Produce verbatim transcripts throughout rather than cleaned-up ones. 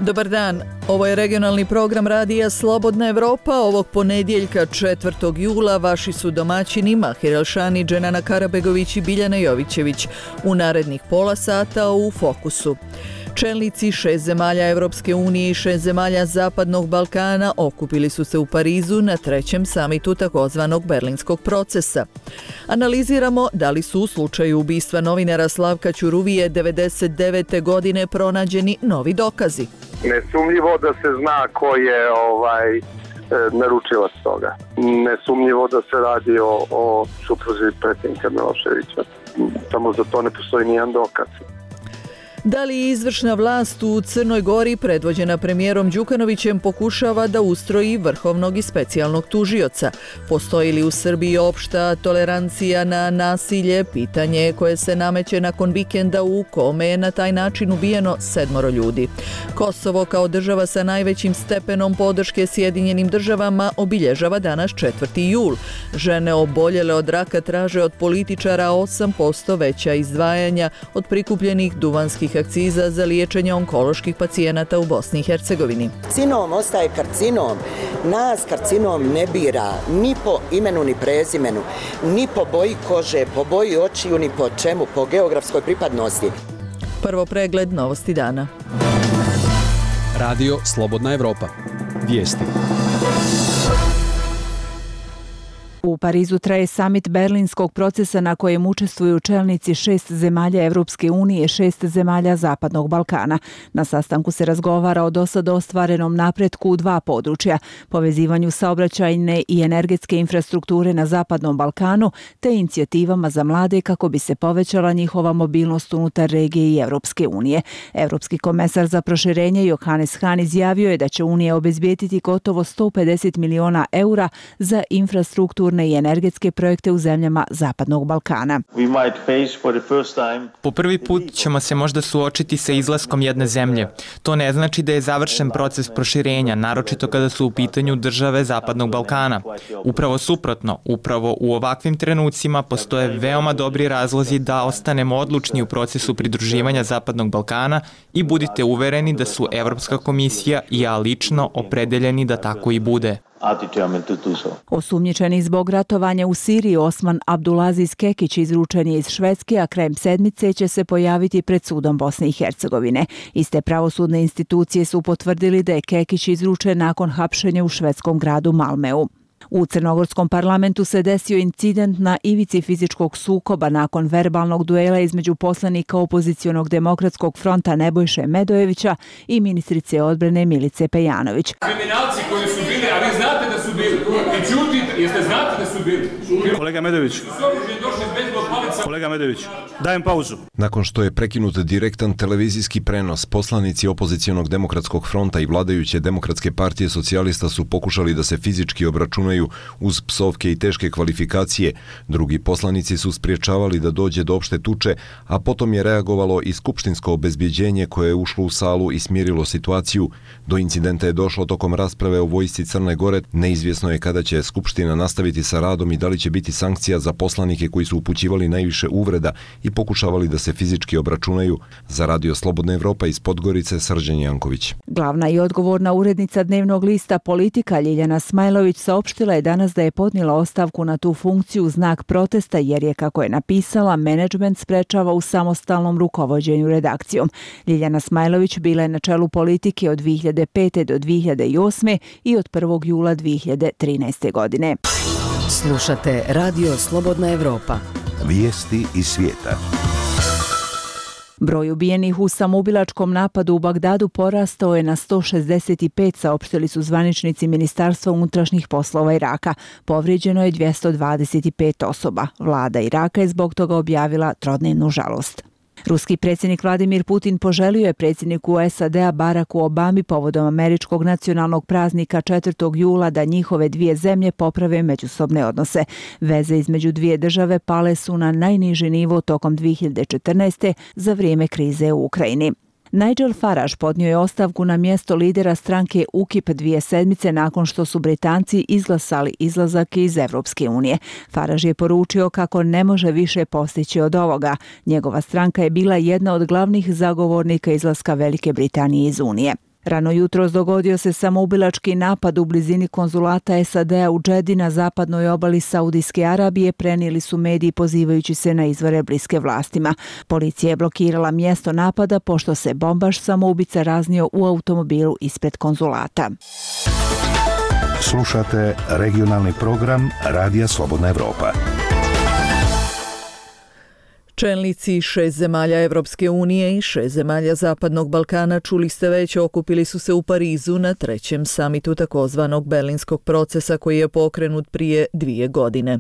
Dobar dan, ovo je regionalni program radija Slobodna Evropa. Ovog ponedjeljka četvrtog jula vaši su domaćini Mahir Elšani, Dženana Karabegović i Biljana Jovićević. U narednih pola sata u Fokusu. Čelnici šest zemalja Evropske unije i šest zemalja Zapadnog Balkana okupili su se u Parizu na trećem samitu takozvanog Berlinskog procesa. Analiziramo da li su u slučaju ubistva novinara Slavka Ćuruvije devedeset devete godine pronađeni novi dokazi. Nesumnjivo da se zna ko je ovaj, naručilac toga. Nesumnjivo da se radi o, o supruzi predsjednika Miloševića. Samo za to ne postoji nijedan dokaz. Da li izvršna vlast u Crnoj Gori, predvođena premijerom Đukanovićem, pokušava da ustroji vrhovnog i specijalnog tužioca? Postoji li u Srbiji opšta tolerancija na nasilje? Pitanje koje se nameće nakon vikenda u kome je na taj način ubijeno sedmoro ljudi. Kosovo kao država sa najvećim stepenom podrške Sjedinjenim državama obilježava danas četvrti jul. Žene oboljele od raka traže od političara osam posto veća izdvajanja od prikupljenih duvanskih akciza za liječenje onkoloških pacijenata u Bosni i Hercegovini. Karcinom ostaje karcinom. Nas karcinom ne bira ni po imenu ni prezimenu, ni po boji kože, po boji očiju, ni po čemu, po geografskoj pripadnosti. Prvo pregled novosti dana. Radio Slobodna Evropa. Vijesti. U Parizu traje samit Berlinskog procesa na kojem učestvuju čelnici šest zemalja Evropske unije i šest zemalja Zapadnog Balkana. Na sastanku se razgovara o dosad ostvarenom napretku u dva područja, povezivanju saobraćajne i energetske infrastrukture na Zapadnom Balkanu te inicijativama za mlade kako bi se povećala njihova mobilnost unutar regije i Evropske unije. Evropski komesar za proširenje Johannes Hahn izjavio je da će Unija obezbijediti gotovo sto pedeset miliona eura za infrastrukturne i energetske projekte u zemljama Zapadnog Balkana. Po prvi put ćemo se možda suočiti sa izlaskom jedne zemlje. To ne znači da je završen proces proširenja, naročito kada su u pitanju države Zapadnog Balkana. Upravo suprotno, upravo u ovakvim trenucima postoje veoma dobri razlozi da ostanemo odlučni u procesu pridruživanja Zapadnog Balkana i budite uvereni da su Evropska komisija i ja lično opredeljeni da tako i bude. Osumnjičeni zbog ratovanja u Siriji Osman Abdulaziz Kekić izručen je iz Švedske, a krajem sedmice će se pojaviti pred sudom Bosne i Hercegovine. Iste pravosudne institucije su potvrdili da je Kekić izručen nakon hapšenja u švedskom gradu Malmeu. U crnogorskom parlamentu se desio incident na ivici fizičkog sukoba nakon verbalnog duela između poslanika opozicionog demokratskog fronta Nebojše Medojevića i ministrice odbrane Milice Pejanović. Kriminalci koji su bili, a vi znate da su bili, i čutite, jeste znate da su bili. Kolega Medojević, kolega Medojević, dajem pauzu. Nakon što je prekinut direktan televizijski prenos, poslanici opozicionog demokratskog fronta i vladajuće Demokratske partije socijalista su pokušali da se fizički obračunaju uz psovke i teške kvalifikacije. Drugi poslanici su spriječavali da dođe do opšte tuče, a potom je reagovalo i skupštinsko obezbjeđenje koje je ušlo u salu i smirilo situaciju. Do incidenta je došlo tokom rasprave o vojsci Crne Gore. Neizvjesno je kada će Skupština nastaviti sa radom i da li će biti sankcija za poslanike koji su upućivali najviše uvreda i pokušavali da se fizički obračunaju. Za Radio Slobodna Evropa iz Podgorice, Srđan Janković. Glavna i odgovorna urednica dnevnog lista Politika Ljiljana Smajlović saopštila je danas da je podnijela ostavku na tu funkciju u znak protesta jer je, kako je napisala, menadžment sprečava u samostalnom rukovođenju redakcijom. Ljiljana Smajlović bila je na čelu Politike od dvije hiljade pete do dvije hiljade osme i od prvog jula dvije hiljade trinaeste. godine. Slušate Radio Slobodna Evropa. Vijesti iz svijeta. Broj ubijenih u samoubilačkom napadu u Bagdadu porastao je na sto šezdeset pet, saopštili su zvaničnici Ministarstva unutrašnjih poslova Iraka. Povrijeđeno je dvjesto dvadeset pet osoba. Vlada Iraka je zbog toga objavila trodnevnu žalost. Ruski predsjednik Vladimir Putin poželio je predsjedniku S A D-a Baracku Obami povodom američkog nacionalnog praznika četvrtog jula da njihove dvije zemlje poprave međusobne odnose. Veze između dvije države pale su na najniži nivo tokom dvije hiljade četrnaeste. za vrijeme krize u Ukrajini. Nigel Farage podnio je ostavku na mjesto lidera stranke U K I P dvije sedmice nakon što su Britanci izglasali izlazak iz Evropske unije. Farage je poručio kako ne može više postići od ovoga. Njegova stranka je bila jedna od glavnih zagovornika izlaska Velike Britanije iz Unije. Rano jutros dogodio se samoubilački napad u blizini konzulata S A D-a u Džedi na zapadnoj obali Saudijske Arabije, prenijeli su mediji pozivajući se na izvore bliske vlastima. Policija je blokirala mjesto napada pošto se bombaš samoubica raznio u automobilu ispred konzulata. Slušate regionalni program Radija Slobodna Evropa. Čelnici šest zemalja Evropske unije i šest zemalja Zapadnog Balkana, čuli ste već, okupili su se u Parizu na trećem samitu takozvanog Berlinskog procesa koji je pokrenut prije dvije godine.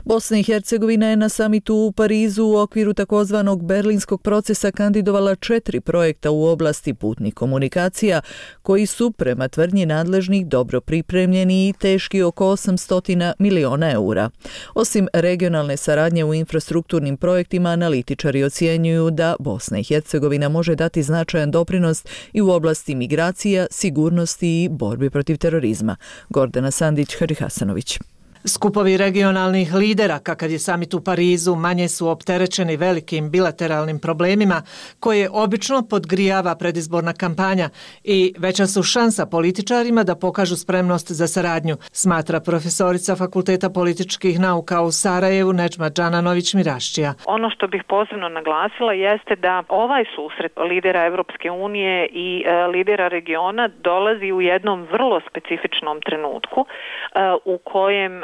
Bosna i Hercegovina je na samitu u Parizu u okviru takozvanog Berlinskog procesa kandidovala četiri projekta u oblasti putnih komunikacija koji su, prema tvrdnji nadležnih, dobro pripremljeni i teški oko osamsto miliona eura. Osim regionalne saradnje u infrastrukturnim projektima, analitičari ocjenjuju da Bosna i Hercegovina može dati značajan doprinos i u oblasti migracija, sigurnosti i borbi protiv terorizma. Gordana Sandić, Hadži Hasanović. Skupovi regionalnih lidera, kakav je samit u Parizu, manje su opterećeni velikim bilateralnim problemima koje obično podgrijava predizborna kampanja i veća su šansa političarima da pokažu spremnost za saradnju, smatra profesorica Fakulteta političkih nauka u Sarajevu Nedžma Džananović-Mirašćija. Ono što bih posebno naglasila jeste da ovaj susret lidera Evropske unije i e, lidera regiona dolazi u jednom vrlo specifičnom trenutku e, u kojem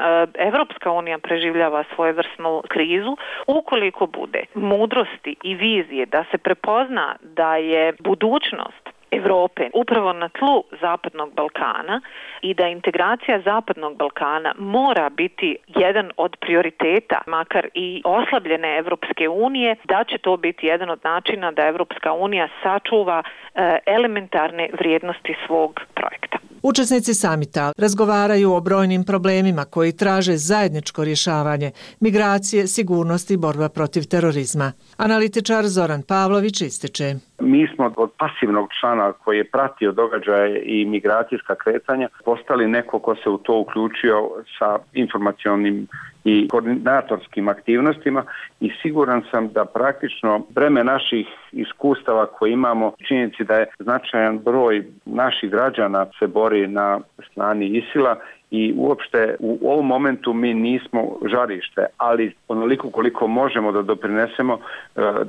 Evropska unija preživljava svojevrsnu krizu. Ukoliko bude mudrosti i vizije da se prepozna da je budućnost Evrope upravo na tlu Zapadnog Balkana i da integracija Zapadnog Balkana mora biti jedan od prioriteta, makar i oslabljene Evropske unije, da će to biti jedan od načina da Evropska unija sačuva e, elementarne vrijednosti svog projekta. Učesnici samita razgovaraju o brojnim problemima koji traže zajedničko rješavanje, migracije, sigurnost i borba protiv terorizma. Analitičar Zoran Pavlović ističe: Mi smo od pasivnog člana koji je pratio događaje i migracijska kretanja postali neko ko se u to uključio sa informacionim i koordinatorskim aktivnostima i siguran sam da praktično breme naših iskustava koje imamo, činjenici da je značajan broj naših građana se bori na strani ISIL-a i uopšte u ovom momentu mi nismo žarište, ali onoliko koliko možemo da doprinesemo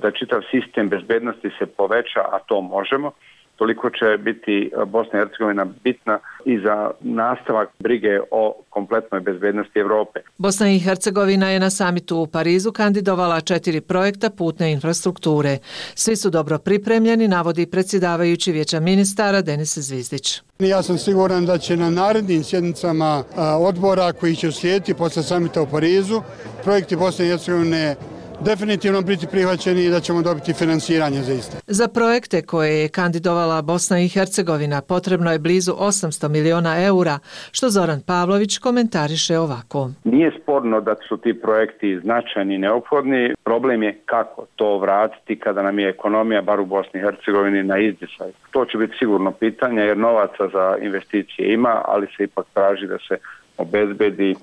da čitav sistem bezbednosti se poveća, a to možemo, toliko će biti Bosna i Hercegovina bitna i za nastavak brige o kompletnoj bezbednosti Evrope. Bosna i Hercegovina je na samitu u Parizu kandidovala četiri projekta putne infrastrukture. Svi su dobro pripremljeni, navodi predsjedavajući Vijeća ministara Denis Zvizdić. Ja sam siguran da će na narednim sjednicama odbora koji će uslijediti posle samita u Parizu projekti Bosne i Hercegovine definitivno biti prihvaćeni i da ćemo dobiti finansiranje za iste. Za projekte koje je kandidovala Bosna i Hercegovina potrebno je blizu osamsto miliona eura, što Zoran Pavlović komentariše ovako. Nije sporno da su ti projekti značajni i neophodni. Problem je kako to vratiti kada nam je ekonomija, bar u Bosni i Hercegovini, na izdisaju. To će biti sigurno pitanje jer novaca za investicije ima, ali se ipak traži da se obezbedi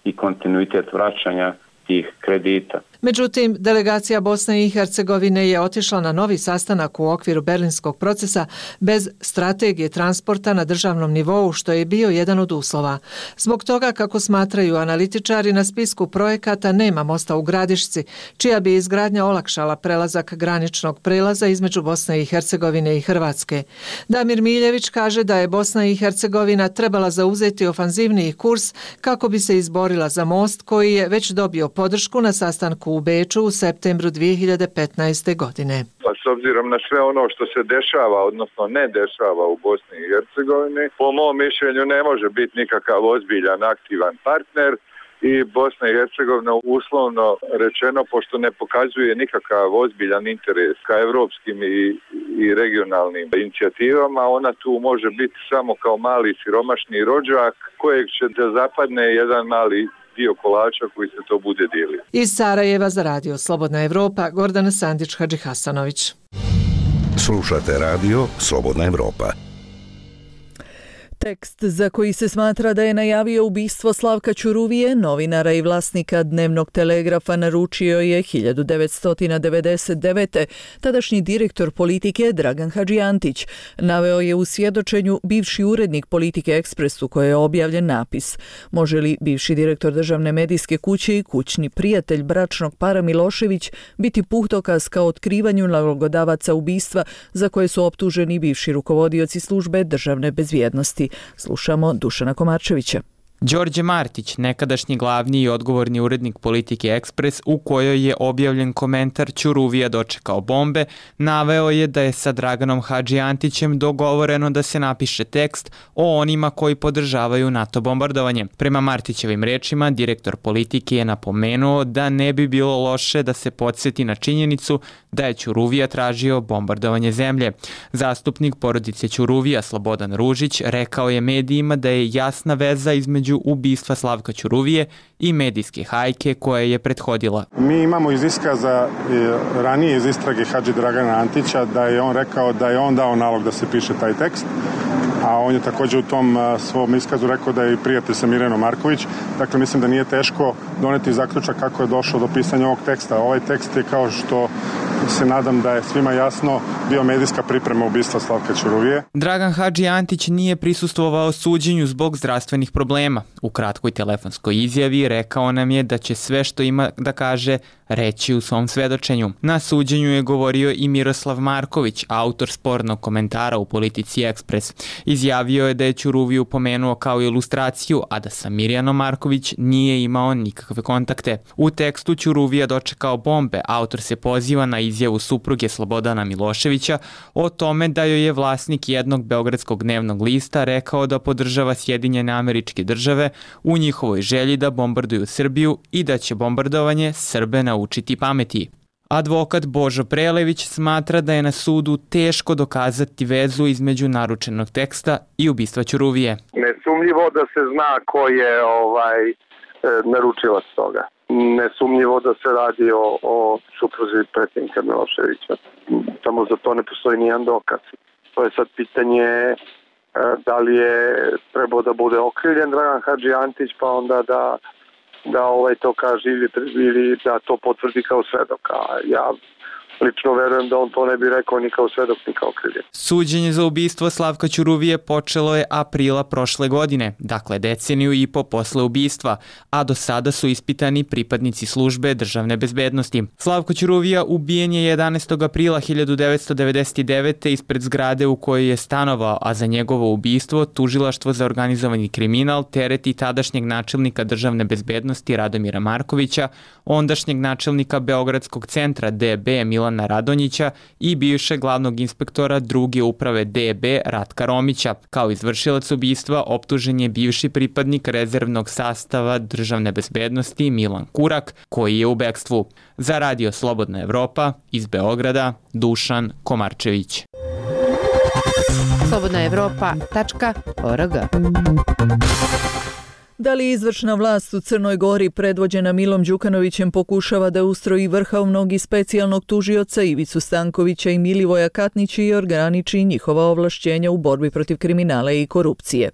i kontinuitet vraćanja tih kredita. Međutim, delegacija Bosne i Hercegovine je otišla na novi sastanak u okviru Berlinskog procesa bez strategije transporta na državnom nivou, što je bio jedan od uslova. Zbog toga, kako smatraju analitičari, na spisku projekata nema mosta u Gradišci, čija bi izgradnja olakšala prelazak graničnog prelaza između Bosne i Hercegovine i Hrvatske. Damir Miljević kaže da je Bosna i Hercegovina trebala zauzeti ofanzivniji kurs kako bi se izborila za most koji je već dobio podršku na sastanku u Beču u septembru dvije hiljade petnaeste. godine. Pa s obzirom na sve ono što se dešava, odnosno ne dešava u Bosni i Hercegovini, po mom mišljenju ne može biti nikakav ozbiljan, aktivan partner i Bosna i Hercegovina uslovno rečeno, pošto ne pokazuje nikakav ozbiljan interes ka evropskim i, i regionalnim inicijativama, ona tu može biti samo kao mali siromašni rođak kojeg će da zapadne jedan mali dio kolača koji se to bude dijelio. Iz Sarajeva za radio Slobodna Evropa, Gordana Sandić, Hadži Hasanović. Slušate radio Slobodna Evropa. Tekst za koji se smatra da je najavio ubistvo Slavka Ćuruvije, novinara i vlasnika Dnevnog telegrafa, naručio je hiljadu devetsto devedeset devete. tadašnji direktor politike Dragan Hadžijantić. Naveo je u svjedočenju bivši urednik Politike Ekspres u kojoj je objavljen napis: može li bivši direktor državne medijske kuće i kućni prijatelj bračnog para Milošević biti puhtokaz kao otkrivanju nalogodavaca ubistva za koje su optuženi bivši rukovodioci službe državne bezbjednosti. Slušamo Dušana Komarčevića. Đorđe Martić, nekadašnji glavni i odgovorni urednik Politike Ekspres, u kojoj je objavljen komentar Ćuruvija dočekao bombe, naveo je da je sa Draganom Hadžijantićem dogovoreno da se napiše tekst o onima koji podržavaju NATO bombardovanje. Prema Martićevim rečima, direktor Politike je napomenuo da ne bi bilo loše da se podsjeti na činjenicu da je Ćuruvija tražio bombardovanje zemlje. Zastupnik porodice Ćuruvija, Slobodan Ružić, rekao je medijima da je jasna veza između ubistva Slavka Ćuruvije i medijske hajke koja je prethodila. Mi imamo iz iskaza ranije iz istrage Hadži Dragana Antića da je on rekao da je on dao nalog da se piše taj tekst, a on je također u tom svom iskazu rekao da je i prijatelj sa Mirjanom Marković. Dakle, mislim da nije teško doneti zaključak kako je došlo do pisanja ovog teksta. Ovaj tekst je, kao što se nadam da je svima jasno, bio medijska priprema ubistva Slavka Ćuruvije. Dragan Hadžijantić nije prisustvovao suđenju zbog zdravstvenih problema. U kratkoj telefonskoj izjavi rekao nam je da će sve što ima da kaže reći u svom svedočenju. Na suđenju je govorio i Miroslav Marković, autor spornog komentara u Politici Ekspres. Izjavio je da je Ćuruviju pomenuo kao ilustraciju, a da sa Mirjanom Marković nije imao nikakve kontakte. U tekstu Ćuruvija dočekao bombe autor se poziva na izjavu supruge Slobodana Miloševića o tome da joj je vlasnik jednog beogradskog dnevnog lista rekao da podržava Sjedinjene Američke Države u njihovoj želji da bombarduju Srbiju i da će bombardovanje Srbe naučiti pameti. Advokat Božo Prelević smatra da je na sudu teško dokazati vezu između naručenog teksta i ubistva Ćuruvije. Nesumnjivo da se zna ko je ovaj naručilac toga. Nesumnjivo da se radi o, o supruzi predsjednika Miloševića. Samo za to ne postoji nijedan dokaz. To je sad pitanje da li je trebao da bude okrivljen Dragan Hadžijantić, pa onda da da ovaj to kaže ili, ili da to potvrdi kao svedok. A ja lično verujem da on to ne bi rekao ni kao svedok ni kao okrivljen. Suđenje za ubistvo Slavka Ćuruvije počelo je aprila prošle godine, dakle deceniju i po posle ubistva, a do sada su ispitani pripadnici službe državne bezbednosti. Slavko Ćuruvija ubijen je jedanaestog aprila hiljadu devetsto devedeset devete ispred zgrade u kojoj je stanovao, a za njegovo ubistvo tužilaštvo za organizovani kriminal tereti tadašnjeg načelnika državne bezbednosti Radomira Markovića, ondašnjeg načelnika Beogradskog centra D B Milana Radonjića i bivšeg glavnog inspektora druge uprave D B Ratka Romića. Kao izvršilac ubistva optužen je bivši pripadnik rezervnog sastava državne bezbednosti Milan Kurak, koji je u bekstvu. Za Radio Slobodna Evropa, iz Beograda, Dušan Komarčević. slobodna evropa tačka org. Da li izvršna vlast u Crnoj Gori predvođena Milom Đukanovićem pokušava da ustroji vrhovnog i specijalnog tužioca Ivicu Stankovića i Milivoja Katnića i ograniči njihova ovlašćenja u borbi protiv kriminala i korupcije?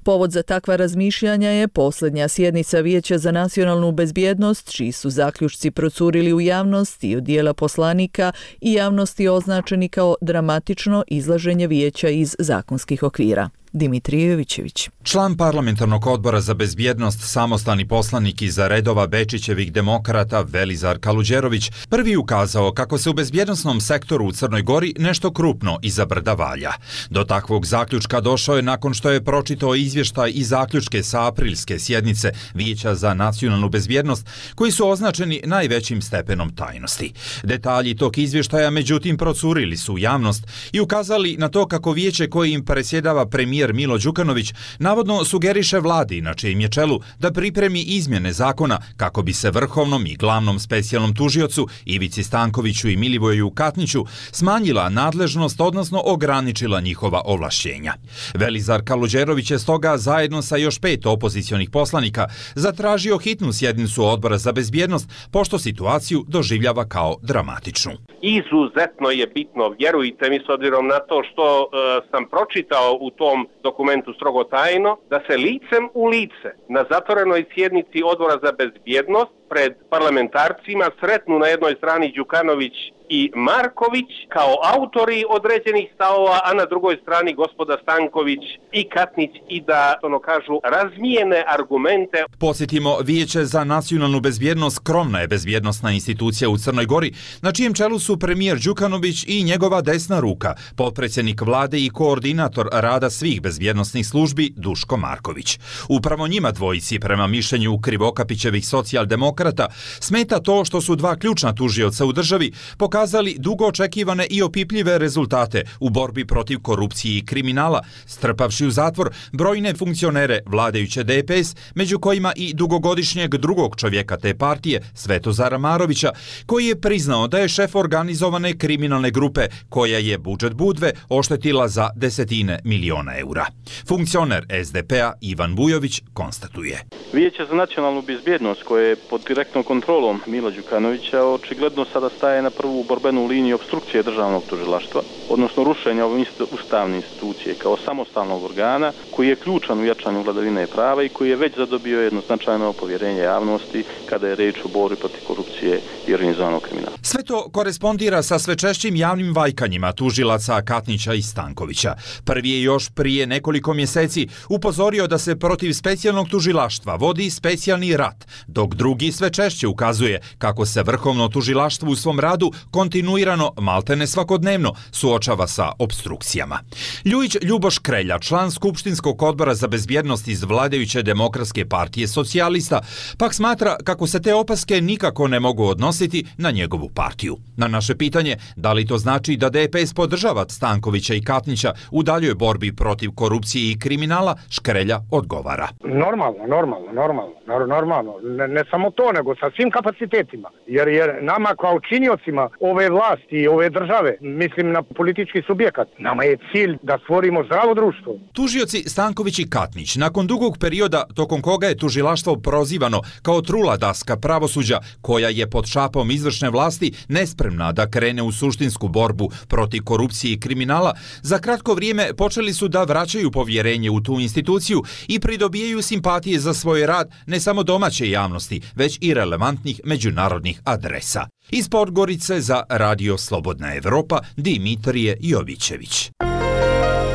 Povod za takva razmišljanja je posljednja sjednica Vijeća za nacionalnu bezbjednost, čiji su zaključci procurili u javnost i od dijela poslanika i javnosti označeni kao dramatično izlaženje vijeća iz zakonskih okvira. Dimitrije Jovićević. Član parlamentarnog odbora za bezbjednost, samostalni poslanik iza redova Bečićevih demokrata Velizar Kaluđerović prvi ukazao kako se u bezbjednosnom sektoru u Crnoj Gori nešto krupno iza brda valja. Do takvog zaključka došao je nakon što je pročitao izvještaj i zaključke sa aprilske sjednice Vijeća za nacionalnu bezbjednost, koji su označeni najvećim stepenom tajnosti. Detalji tog izvještaja međutim procurili su u javnost i ukazali na to kako vijeće koje im presjedava premijer Milo Đukanović navodno sugeriše vladi na čijem je čelu da pripremi izmjene zakona kako bi se vrhovnom i glavnom specijalnom tužiocu Ivici Stankoviću i Milivoju Katniću smanjila nadležnost, odnosno ograničila njihova ovlašćenja. Velizar Kaluđerović je stoga zajedno sa još pet opozicionih poslanika zatražio hitnu sjednicu odbora za bezbjednost, pošto situaciju doživljava kao dramatičnu. Izuzetno je bitno, vjerujte mi, s obzirom na to što e, sam pročitao u tom dokumentu strogo tajno, da se licem u lice na zatvorenoj sjednici Odbora za bezbjednost pred parlamentarcima sretnu na jednoj strani Đukanović i Marković kao autori određenih stavova, a na drugoj strani gospoda Stanković i Katnić i da, ono kažu, razmijene argumente. Posjetimo, Vijeće za nacionalnu bezbjednost skromna je bezbjednostna institucija u Crnoj Gori, na čijem čelu su premijer Đukanović i njegova desna ruka, potpredsjednik vlade i koordinator rada svih bezbjednosnih službi Duško Marković. Upravo njima dvojici, prema mišljenju Krivokapićevih socijaldemokrata, smeta to što su dva ključna tužioca u državi pokazali dugo očekivane i opipljive rezultate u borbi protiv korupcije i kriminala, strpavši u zatvor brojne funkcionere vladajuće D P S, među kojima i dugogodišnjeg drugog čovjeka te partije, Svetozara Marovića, koji je priznao da je šef organizovane kriminalne grupe koja je budžet Budve oštetila za desetine miliona eura. Funkcioner S D P-a Ivan Bujović konstatuje. Vijeće za nacionalnu bezbjednost, koje je pod direktnom kontrolom Mila Đukanovića, očigledno sada staje na prvu borbenu liniju opstrukcije državnog tužilaštva, odnosno rušenja ove ustavne institucije kao samostalnog organa koji je ključan u jačanju vladavine prava i koji je već zadobio jedno značajno povjerenje javnosti kada je reč o borbi protiv korupcije i organizovanog kriminala. Sve to korespondira sa sve češćim javnim vajkanjima tužilaca Katnića i Stankovića. Prvi je još prije nekoliko mjeseci upozorio da se protiv specijalnog tužilaštva vodi specijalni rat, dok drugi sve češće ukazuje kako se vrhovno tužilaštvo u svom radu kontinuirano, maltene svakodnevno, suočava sa obstrukcijama. Ljujić Ljuboš Krelja, član Skupštinskog odbora za bezbjednost iz vladajuće Demokratske partije socijalista, pak smatra kako se te opaske nikako ne mogu odnositi na njegovu partiju. Na naše pitanje, da li to znači da D P S podržava Stankovića i Katnića u daljoj borbi protiv korupcije i kriminala, Škrelja odgovara. Normalno, normalno, normalno, normalno. Ne, ne samo to, nego sa svim kapacitetima. Jer, jer nama kao činiocima ove vlasti i ove države, mislim na politički subjekat, nama je cilj da stvorimo zdravo društvo. Tužioci Stanković i Katnić, nakon dugog perioda tokom koga je tužilaštvo prozivano kao trula daska pravosuđa koja je pod šapom izvršne vlasti nespremna da krene u suštinsku borbu protiv korupcije i kriminala, za kratko vrijeme počeli su da vraćaju povjerenje u tu instituciju i pridobijaju simpatije za svoj rad ne samo domaće javnosti, već i relevantnih međunarodnih adresa. Iz Podgorice za Radio Slobodna Evropa, Dimitrije Jovićević.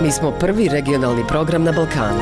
Mi smo prvi regionalni program na Balkanu.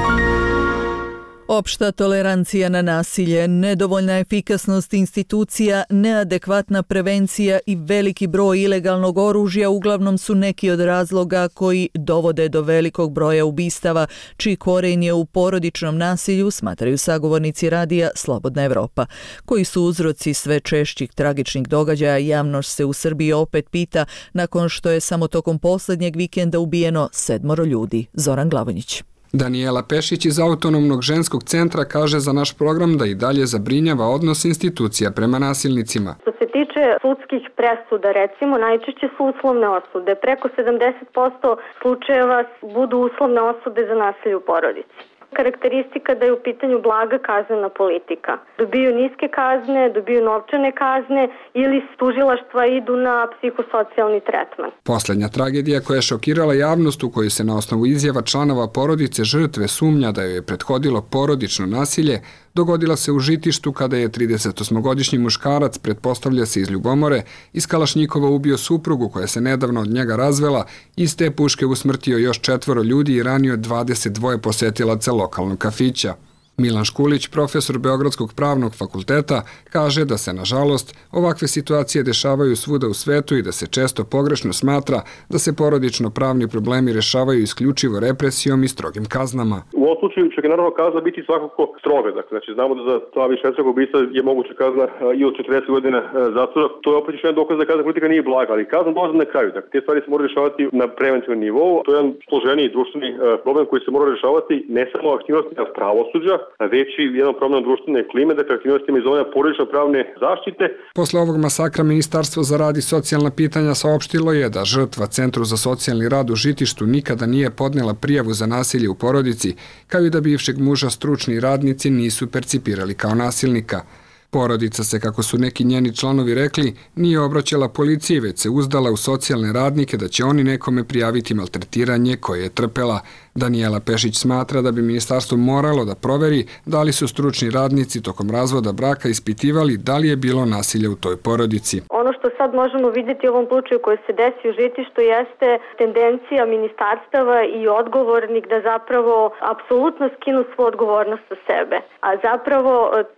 Opšta tolerancija na nasilje, nedovoljna efikasnost institucija, neadekvatna prevencija i veliki broj ilegalnog oružja uglavnom su neki od razloga koji dovode do velikog broja ubistava, čiji koren je u porodičnom nasilju, smatraju sagovornici radija Slobodna Evropa. Koji su uzroci sve češćih tragičnih događaja, javnost se u Srbiji opet pita nakon što je samo tokom posljednjeg vikenda ubijeno sedmoro ljudi. Zoran Glavonjić. Danijela Pešić iz Autonomnog ženskog centra kaže za naš program da i dalje zabrinjava odnos institucija prema nasilnicima. Što se tiče sudskih presuda, recimo, najčešće su uslovne osude. Preko sedamdeset posto slučajeva budu uslovne osude za nasilje u porodici. Karakteristika da je u pitanju blaga kaznena politika. Dobiju niske kazne, dobiju novčane kazne ili s tužilaštva idu na psihosocijalni tretman. Posljednja tragedija koja je šokirala javnost, u kojoj se na osnovu izjava članova porodice žrtve sumnja da joj je prethodilo porodično nasilje, dogodila se u Žitištu kada je tridesetosmogodišnji muškarac, pretpostavlja se iz Ljubomore, iz Kalašnjikova ubio suprugu koja se nedavno od njega razvela, iz te puške usmrtio još četvoro ljudi i ranio dvadeset dva posetilaca lokalnog kafića. Milan Škulić, profesor Beogradskog pravnog fakulteta, kaže da se, nažalost, ovakve situacije dešavaju svuda u svetu i da se često pogrešno smatra da se porodično pravni problemi rešavaju isključivo represijom i strogim kaznama. U ovom slučaju će naravno kazna biti svakako stroga. Dakle, znači, znamo da za ta višestrukog ubistva je moguća kazna i od četrdeset godina zatvora. To je opet još jedan dokaz da kazna politika nije blaga, ali kazna dolazi na kraju. Dakle, te stvari se moraju rešavati na preventivnom nivou. To je jedan složeniji društveni problem koji se mora rešavati ne samo aktivnostima pravosuđa, već i jedan problem društvene klime, dakle aktivnostima iz zone porodično pravne zaštite. Posle ovog masakra Ministarstvo za rad i socijalna pitanja saopštilo je da žrtva Centru za socijalni rad u Žitištu nikada nije podnela prijavu za nasilje u porodici, kao i da bivšeg muža stručni radnici nisu percipirali kao nasilnika. Porodica se, kako su neki njeni članovi rekli, nije obraćala policiji, već se uzdala u socijalne radnike da će oni nekome prijaviti maltretiranje koje je trpela. Danijela Pešić smatra da bi ministarstvo moralo da proveri da li su stručni radnici tokom razvoda braka ispitivali da li je bilo nasilja u toj porodici. Ono što sad možemo vidjeti u ovom slučaju koji se desi u Žitištu jeste tendencija ministarstava i odgovornik da zapravo apsolutno skinu svu odgovornost sa sebe. A zapravo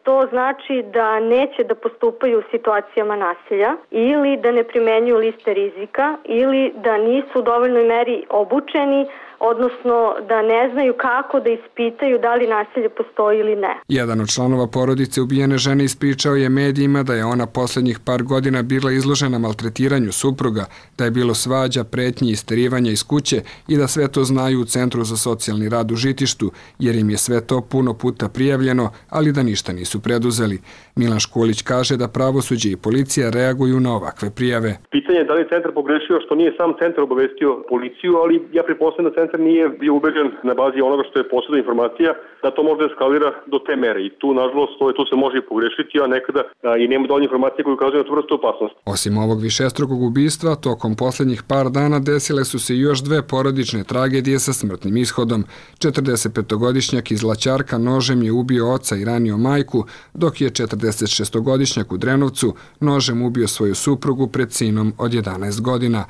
to znači da neće da postupaju u situacijama nasilja ili da ne primenjuju liste rizika ili da nisu u dovoljnoj meri obučeni, odnosno da ne znaju kako da ispitaju da li nasilje postoji ili ne. Jedan od članova porodice ubijene žene ispričao je medijima da je ona posljednjih par godina bila izložena maltretiranju supruga, da je bilo svađa, pretnji i isterivanja iz kuće i da sve to znaju u Centru za socijalni rad u Žitištu, jer im je sve to puno puta prijavljeno, ali da ništa nisu preduzeli. Milan Škulić kaže da pravosuđe i policija reaguju na ovakve prijave. Pitanje je da li je centar pogrešio što nije sam centar obavestio policiju, ali ja pretpostavljam da centar nije bio ubeđen na bazi onoga što je posledna informacija da to možda eskalira do te mere i tu nažalost to, tu se može i pogrešiti, a nekada a, i nema dovoljno informacije koje ukazuju na tu vrstu opasnosti. Osim ovog višestrukog ubistva, tokom poslednjih par dana desile su se još dve porodične tragedije sa smrtnim ishodom. četrdesetpetogodišnjak iz Laćarka nožem je ubio oca i ranio majku, dok je četrdesetšestogodišnjak u Drenovcu nožem ubio svoju suprugu pred sinom od jedanaest godina.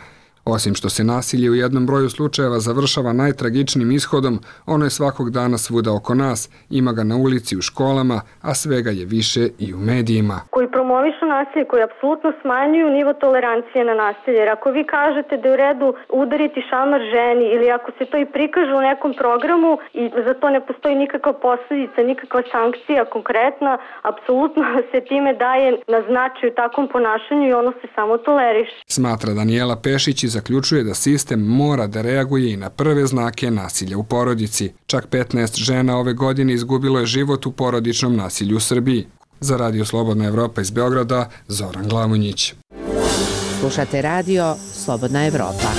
Osim što se nasilje u jednom broju slučajeva završava najtragičnijim ishodom, ono je svakog dana svuda oko nas, ima ga na ulici, u školama, a svega je više i u medijima. Koji promovišu nasilje, koji apsolutno smanjuju nivo tolerancije na nasilje. Jer ako vi kažete da je u redu udariti šamar ženi ili ako se to i prikaže u nekom programu i za to ne postoji nikakva posljedica, nikakva sankcija konkretna, apsolutno se time daje na značaju takvom ponašanju i ono se samo toleriše. Smatra Danijela Pešić i zaključuje da sistem mora da reaguje i na prve znake nasilja u porodici. Čak petnaest žena ove godine izgubilo je život u porodičnom nasilju u Srbiji. Za Radio Slobodna Evropa iz Beograda, Zoran Glamonjić. Slušate radio Slobodna Evropa.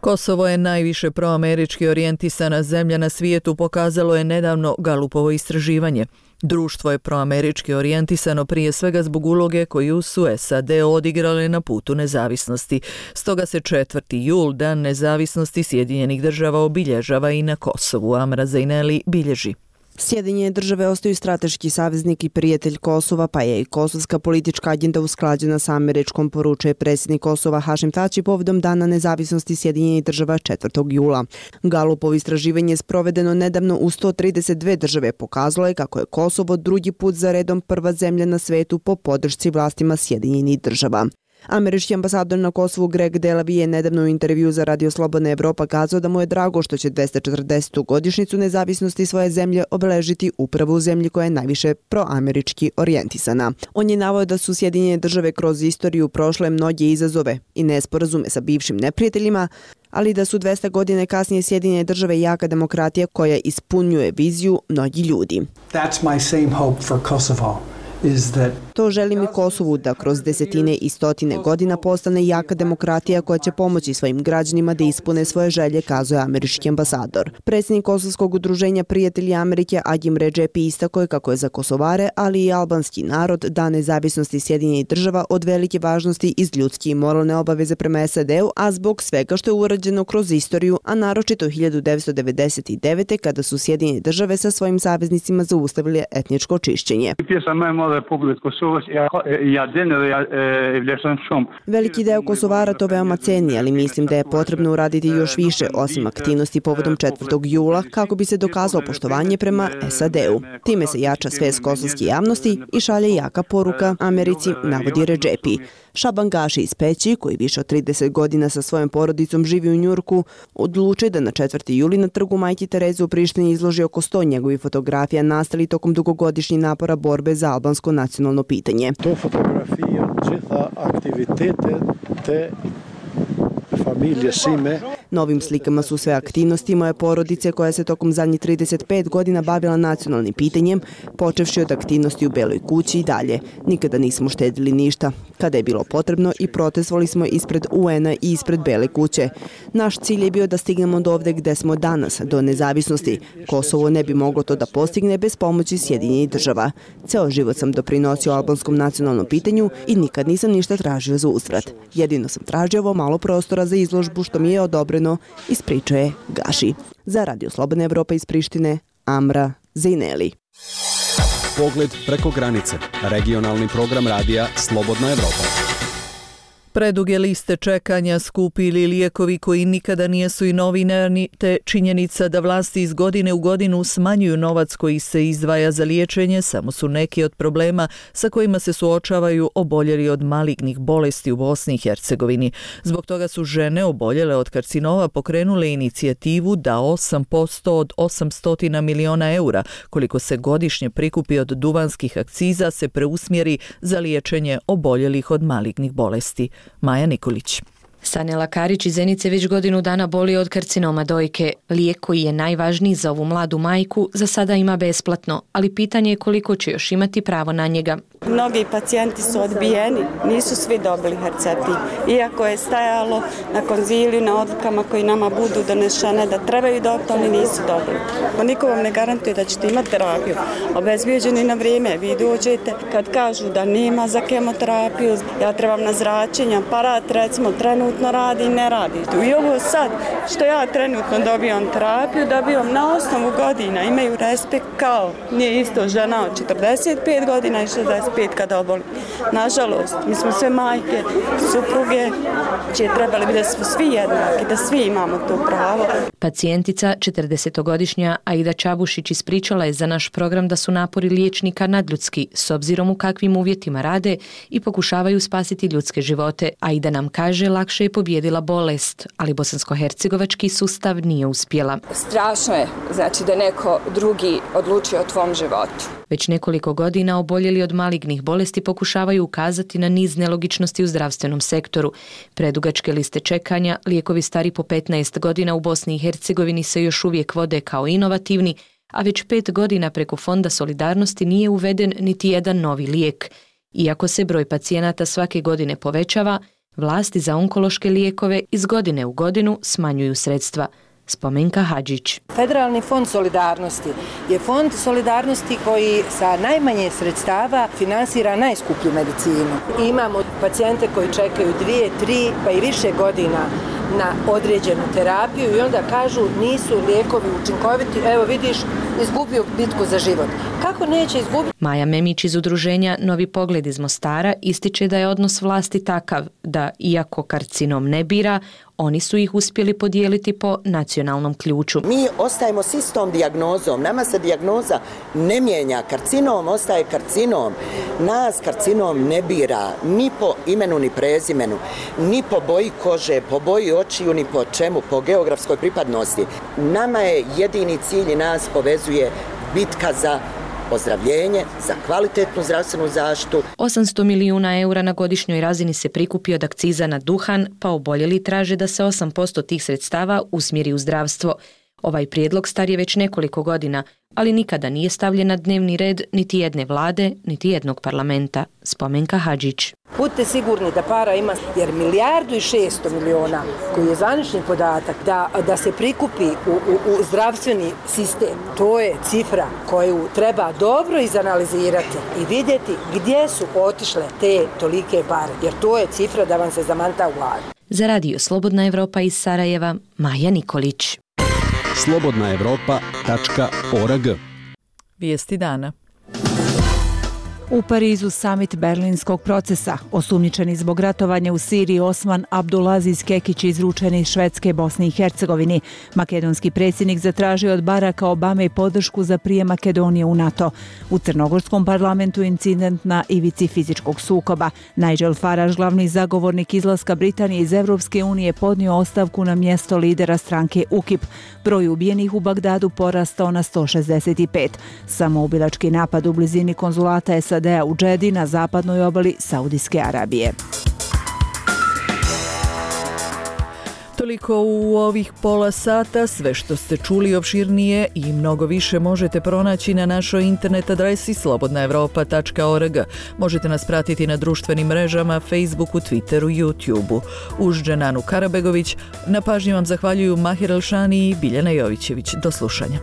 Kosovo je najviše proamerički orijentisana zemlja na svijetu, pokazalo je nedavno Galupovo istraživanje. Društvo je proamerički orijentisano prije svega zbog uloge koju su S A D odigrale na putu nezavisnosti. Stoga se četvrti jul, Dan nezavisnosti Sjedinjenih država, obilježava i na Kosovu. Amra Zajneli bilježi. Sjedinjene države ostaju strateški saveznik i prijatelj Kosova, pa je i kosovska politička agenda usklađena sa američkom, poručuje predsjednik Kosova Hašim Tači povodom Dana nezavisnosti Sjedinjenih država četvrtog jula. Galupovo istraživanje sprovedeno nedavno u sto trideset dve države pokazalo je kako je Kosovo drugi put za redom prva zemlja na svetu po podršci vlastima Sjedinjenih država. Američki ambasador na Kosovu Greg Delavi je nedavno u intervju za Radio Slobodna Evropa kazao da mu je drago što će dvesta četrdesetu godišnjicu nezavisnosti svoje zemlje obeležiti upravo u zemlji koja je najviše proamerički orijentisana. On je naveo da su Sjedinjene države kroz istoriju prošle mnoge izazove i nesporazume sa bivšim neprijateljima, ali da su dvesta godine kasnije Sjedinjene države jaka demokratija koja ispunjuje viziju mnogi ljudi. That's my same hope for Kosovo. To želim i Kosovu, da kroz desetine i stotine godina postane jaka demokratija koja će pomoći svojim građanima da ispune svoje želje, kazuje američki ambasador. Predsjednik Kosovskog udruženja Prijatelji Amerike Agim Redžepi istakao je kako je za Kosovare, ali i albanski narod, Dan nezavisnosti Sjedinjenih država od velike važnosti iz ljudske i moralne obaveze prema S A D-u, a zbog svega što je urađeno kroz istoriju, a naročito hiljadu devetsto devedeset devete. kada su Sjedinjene države sa svojim saveznicima zaustavili etničko čišćenje. Veliki deo Kosovara to veoma ceni, ali mislim da je potrebno uraditi još više osim aktivnosti povodom četvrtog jula kako bi se dokazalo poštovanje prema S A D-u. Time se jača svest kosovske javnosti i šalje jaka poruka Americi, navodi Redžepi. Šaban Gaši iz Peći, koji više od trideset godina sa svojom porodicom živi u Njurku, odlučuje da na četvrti juli na trgu Majke Tereze u Prištini izloži oko sto njegovih fotografija nastali tokom dugogodišnjih napora borbe za albansko nacionalno pitanje. To fotografija gjitha aktivitete te famiglia Sime. Novim slikama su sve aktivnosti moje porodice koja se tokom zadnjih trideset pet godina bavila nacionalnim pitanjem, počevši od aktivnosti u Beloj kući i dalje. Nikada nismo štedili ništa. Kada je bilo potrebno i protestovali smo ispred U N-a i ispred Bele kuće. Naš cilj je bio da stignemo do ovde gde smo danas, do nezavisnosti. Kosovo ne bi moglo to da postigne bez pomoći Sjedinjenih država. Ceo život sam doprinosio albanskom nacionalnom pitanju i nikad nisam ništa tražio za uzvrat. Jedino sam tražio ovo malo prostora za izložbu što mi je odobreno, ispričaje Gaši. Za Radio Slobodna Evropa iz Prištine, Amra Zejneli. Pogled preko granice. Regionalni program radija Slobodna Evropa. Preduge liste čekanja, skupi ili lijekovi koji nikada nijesu i novinarni, te činjenica da vlasti iz godine u godinu smanjuju novac koji se izdvaja za liječenje samo su neki od problema sa kojima se suočavaju oboljeli od malignih bolesti u Bosni i Hercegovini. Zbog toga su žene oboljele od karcinoma pokrenule inicijativu da osam posto od osamsto miliona eura, koliko se godišnje prikupi od duvanskih akciza, se preusmjeri za liječenje oboljelih od malignih bolesti. Maja Nikolić. Sanela Karić iz Zenice već godinu dana boli od karcinoma dojke. Lijek koji je najvažniji za ovu mladu majku za sada ima besplatno, ali pitanje je koliko će još imati pravo na njega. Mnogi pacijenti su odbijeni, nisu svi dobili Herceptin. Iako je stajalo na konziliju, na odlukama koji nama budu donešene da trebaju dobiti, oni nisu dobili. Pa niko vam ne garantuje da ćete imati terapiju. Obezbijeđeni na vrijeme, vi dođete kad kažu da nema za kemoterapiju, ja trebam na zračenje, aparat recimo trenutno radi i ne radi. I ovo sad što ja trenutno dobijam terapiju, dobijam na osnovu godina, imaju respekt kao nije isto žena od četrdeset pet godina i šezdeset pet kada oboli. Nažalost, mi smo sve majke, supruge, čije trebali bi da smo svi jednaki, da svi imamo to pravo. Pacijentica, četrdesetogodišnja Aida Čabušić, ispričala je za naš program da su napori liječnika nadljudski s obzirom u kakvim uvjetima rade i pokušavaju spasiti ljudske živote. Aida nam kaže lakše je pobijedila bolest, ali bosansko-hercegovački sustav nije uspjela. Strašno je, znači da neko drugi odlučio o tvom životu. Već nekoliko godina oboljeli od malignih bolesti pokušavaju ukazati na niz nelogičnosti u zdravstvenom sektoru. Predugačke liste čekanja, lijekovi stari po petnaest godina u Bosni i Hercegovini se još uvijek vode kao inovativni, a već pet godina preko Fonda solidarnosti nije uveden niti jedan novi lijek. Iako se broj pacijenata svake godine povećava, vlasti za onkološke lijekove iz godine u godinu smanjuju sredstva. Spomenka Hadžić. Federalni fond solidarnosti je fond solidarnosti koji sa najmanje sredstava finansira najskuplju medicinu. Imamo pacijente koji čekaju dvije, tri pa i više godina na određenu terapiju i onda kažu nisu lijekovi učinkoviti, evo vidiš, izgubio bitku za život. Kako neće izgubiti? Maja Memić iz udruženja Novi pogled iz Mostara ističe da je odnos vlasti takav da, iako karcinom ne bira, oni su ih uspjeli podijeliti po nacionalnom ključu. Mi ostajemo s istom dijagnozom, nama se dijagnoza ne mijenja, karcinom ostaje karcinom. Nas karcinom ne bira ni po imenu ni prezimenu, ni po boji kože, po boji očiju, ni po čemu, po geografskoj pripadnosti. Nama je jedini cilj i nas povezuje bitka za ozdravljenje, za kvalitetnu zdravstvenu zaštitu. osamsto milijuna eura na godišnjoj razini se prikupi od akciza na duhan, pa oboljeli traže da se osam posto tih sredstava usmjeri u zdravstvo. Ovaj prijedlog star je već nekoliko godina, ali nikada nije stavljen na dnevni red niti jedne vlade, niti jednog parlamenta. Spomenka Hadžić. Budite sigurni da para ima, jer milijardu i šesto miliona, koji je zvanični podatak, da, da se prikupi u, u, u zdravstveni sistem, to je cifra koju treba dobro izanalizirati i vidjeti gdje su otišle te tolike pare, jer to je cifra da vam se zamanta u glavi. Za Radio Slobodna Evropa iz Sarajeva, Maja Nikolić. slobodna evropa tačka org. Vijesti dana. U Parizu samit berlinskog procesa. Osumnjičeni zbog ratovanja u Siriji Osman Abdulaziz Kekić izručen iz Švedske, Bosni i Hercegovini. Makedonski predsjednik zatražio od Baracka Obame podršku za prijem Makedonije u NATO. U Crnogorskom parlamentu incident na ivici fizičkog sukoba. Nigel Farage, glavni zagovornik izlaska Britanije iz Evropske unije, podnio ostavku na mjesto lidera stranke U K I P. Broj ubijenih u Bagdadu porastao na sto šezdeset pet. Samoubilački napad u blizini konzulata S A D-a u Džedi na zapadnoj obali Saudijske Arabije. Toliko u ovih pola sata. Sve što ste čuli opširnije i mnogo više možete pronaći na našoj internet adresi slobodna evropa tačka org. Možete nas pratiti na društvenim mrežama, Facebooku, Twitteru, YouTubeu. Uz Dženanu Karabegović, na pažnji vam zahvaljuju Mahir Elšani i Biljana Jovićević. Do slušanja.